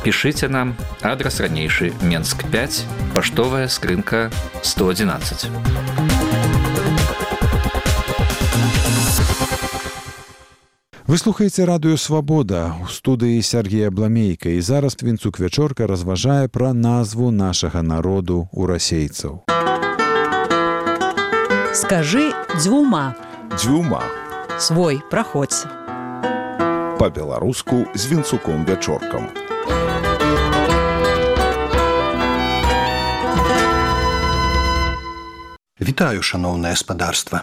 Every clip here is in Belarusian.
Пішыце нам, адрас ранейшы, Менск 5, паштовая скрынка 111. Вы слухаеце радыё «Свабода» у студыі Сергея Бламейка, і зараз Вінцук Вячорка разважае пра назву нашага народу ў расейцаў. Скажы дзвюма. Дзвюма. Свой, праходзь. Па-беларуску з Вінцуком Вячоркам. Вітаю, шаноўнае спадарства.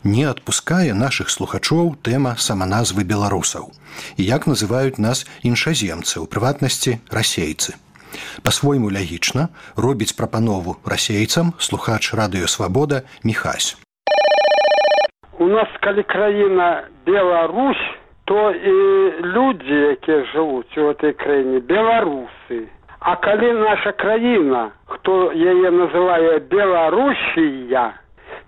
Не адпускае нашых слухачоў тэма саманазвы беларусаў. І як называюць нас іншаземцы, у прыватнасці расейцы. Па-свойму лягічна робіць прапанову расейцам слухач радыё «Свабода» Міхась. У нас, калі краіна Беларусь, то і людзі, якія жывуць у гэтай краіне, беларусы. А калі наша краіна, хто яе называе Беларусія,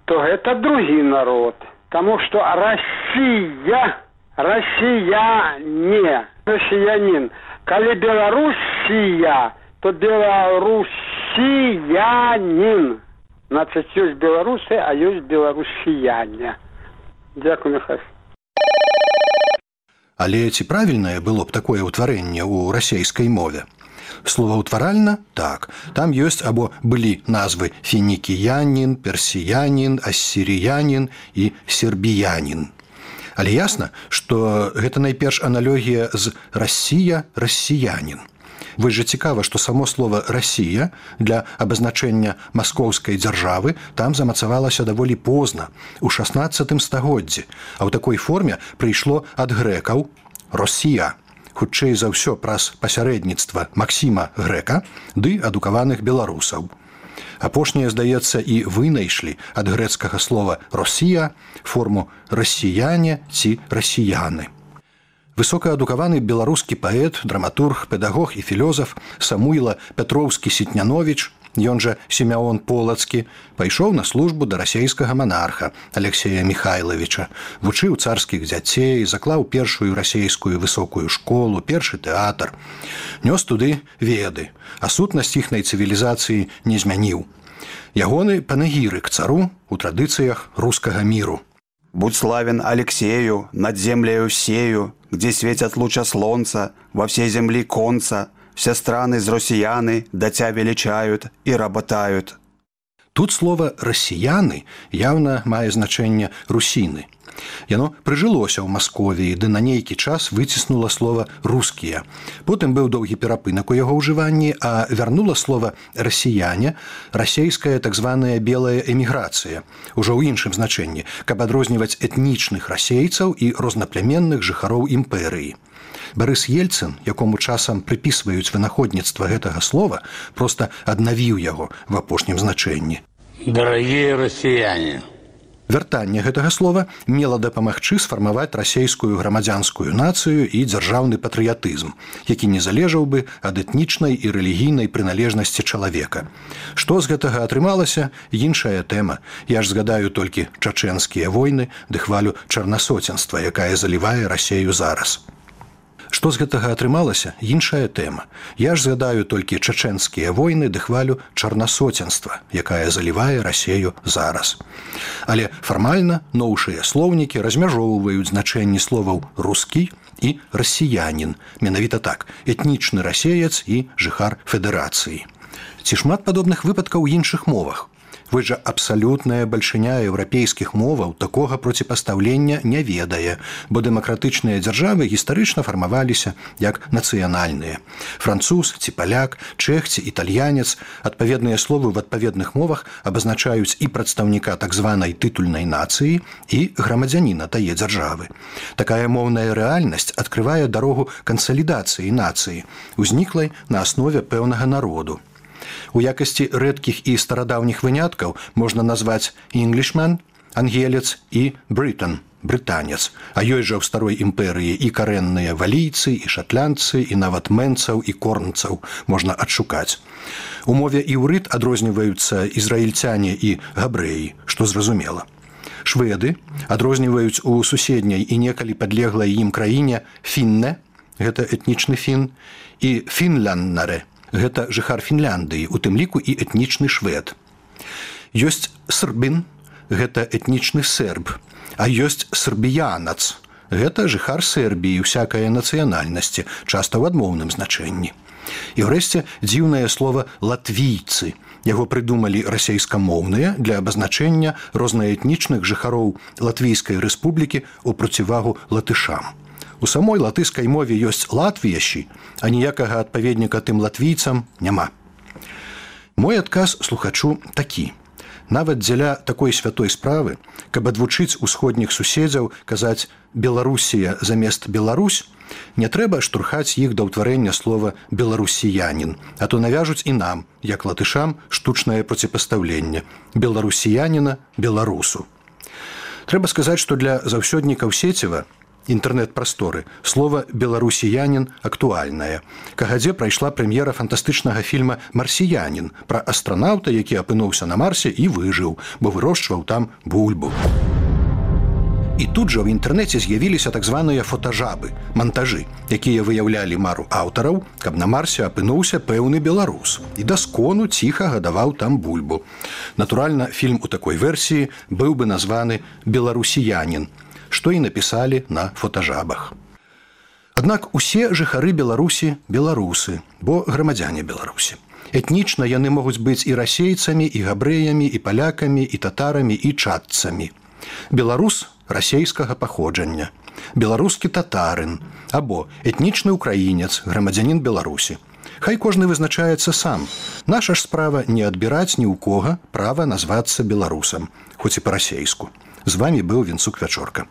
то гэта другі народ. Таму што Расія, расіяне, расіянін. Калі Беларусія, то беларусіянін. Значыць, ёсць беларусы, а ёсць беларусіяне. Дзякую, Михась. Але ці правільнае было б такое ўтварэнне ў расейскай мове? Словаўтваральна? Так. Там ёсць або былі назвы фінікіянін, персіянін, ассіріянін і сербіянін. Але ясна, што гэта найперш аналогія з «Расія», «расіянін». Вось жа цікава, што само слова «Расія» для абазначэння маскоўскай дзяржавы там замацавалася даволі позна, у 16 стагоддзі, а ў такой форме прыйшло ад грэкаў «Росія», хутчэй за ўсё праз пасярэдніцтва Максіма Грэка ды адукаваных беларусаў. Апошняе, здаецца, і вынайшлі ад грэцкага слова «Росія» форму «расіяне» ці «расіяны». Высокаадукаваны беларускі паэт, драматург, педагог і філёзаф Самуіла Пятроўскі-Сітняновіч, ён жа Сімеон Полацкі, пайшоў на службу да расейскага манарха Алексея Михайловича, вучыў царскіх дзяцей, заклаў першую расейскую высокую школу, першы тэатр. Нёс туды веды, а сутнасць іхнай цывілізацыі не змяніў. Ягоны панегірык цару у традыцыях рускага міру. «Будь славен Алексею, над землею сею, где светят луча солнца, во всей земли конца, все страны з россияны да тя величают и работают». Тут слово «расіяны» явно мае значэнне «русіны». Яно прыжылося ў Масковіі, ды на нейкі час выціснула слова «рускія». Потым быў доўгі перапынак у яго ўжыванні, а вярнула слова «расіяне» расейская так званая белая эміграцыя, ужо ў іншым значэнні, каб адрозніваць этнічных расейцаў і рознаплямённых жыхароў імперыі. Барыс Ельцын, якому часам прыпісваюць вынаходніцтва гэтага слова, проста аднавіў яго в апошнім значэнні. Дарагія расіяне. Вяртанне гэтага слова мела дапамагчы сфармаваць расейскую грамадзянскую нацыю і дзяржаўны патрыятызм, які не залежаў бы ад этнічнай і рэлігійнай прыналежнасці чалавека. Што з гэтага атрымалася, іншая тэма. Я ж згадаю толькі чачэнскія войны ды хвалю чарнасоценства, якая залівае Расею зараз. Што з гэтага атрымалася, іншая тэма. Я ж згадаю толькі чачэнскія войны ды хвалю чарнасоценства, якая залівае Расею зараз. Але фармальна новшыя слоўнікі размяжоўваюць значэнні словаў «рускі» і «расіянін». Менавіта так, этнічны расеец і жыхар федэрацыі. Ці шмат падобных выпадкаў у іншых мовах? Вось жа абсалютная бальшыня еўрапейскіх моваў такога проціпастаўлення не ведае, бо дэмакратычныя дзяржавы гістарычна фармаваліся як нацыянальныя. Француз ці паляк, чэх ці італьянец, адпаведныя словы ў адпаведных мовах абазначаюць і прадстаўніка так званай тытульнай нацыі, і грамадзяніна тае дзяржавы. Такая моўная рэальнасць адкрывае дарогу кансалідацыі нацыі, узніклай на аснове пэўнага народу. У якасці рэдкіх і старадаўніх выняткаў можна назваць «Englishman» – ангелец і «Briton» – брытанец, а ёсць жа ў старой імперыі і карэнныя валійцы, і шатландцы, і нават мэнцаў і корнцаў можна адшукаць. У мове іўрыт адрозніваюцца ізраільцяне і габрэі, што зразумела. Шведы адрозніваюць у суседняй і некалі падлеглай ім краіне «фінне» гэта этнічны фін, і фінляннаре – гэта жыхар Фінляндыі, у тым ліку і этнічны швед. Ёсць србін – гэта этнічны серб, а ёсць србіянац – гэта жыхар Сербіі усякае нацыянальнасці, часта ў адмоўным значэнні. І ўрэшце дзіўнае слова «латвійцы». Яго прыдумалі расейскамоўныя для абазначэння рознаэтнічных жыхароў Латвійскай рэспублікі ў процівагу латышам. У самой латышскай мове ёсць латвіяші, а ніякага адпаведніка тым латвійцам няма. Мой адказ слухачу такі. Нават дзеля такой святой справы, каб адвучыць усходніх суседзяў казаць «Беларусія» замест «Беларусь», не трэба штурхаць іх да ўтварэння слова «беларусіянін», а то навяжуць і нам, як латышам, штучнае проціпастаўленне «беларусіяніна» «беларусу». Трэба сказаць, што для заўсёднікаў Сеціва інтэрнэт-прасторы слова «беларусіянін» актуальнае. Кагадзе прайшла прэм'ера фантастычнага фільма «Марсіянін» пра астранаўта, які апынуўся на Марсе і выжыў, бо вырошчваў там бульбу. І тут жа ў інтэрнэце з'явіліся так званыя фотажабы, мантажы, якія выяўлялі мару аўтараў, каб на Марсе апынуўся пэўны беларус і даскону ціха гадаваў там бульбу. Натуральна, фільм у такой версіі быў бы названы «Беларусіянін», што і напісалі на фотажабах. Аднак усе жыхары Беларусі – беларусы, бо грамадзяне Беларусі. Этнічна яны могуць быць і расейцамі, і габрэямі, і палякамі, і татарамі, і чадцамі. Беларус расейскага паходжання, беларускі татарын або этнічны украінец, грамадзянін Беларусі. Хай кожны вызначаецца сам. Наша ж справа не адбіраць ні ў кога права назвацца беларусам, хоць і па-расейску. З вамі быў Вінцук Вячорка.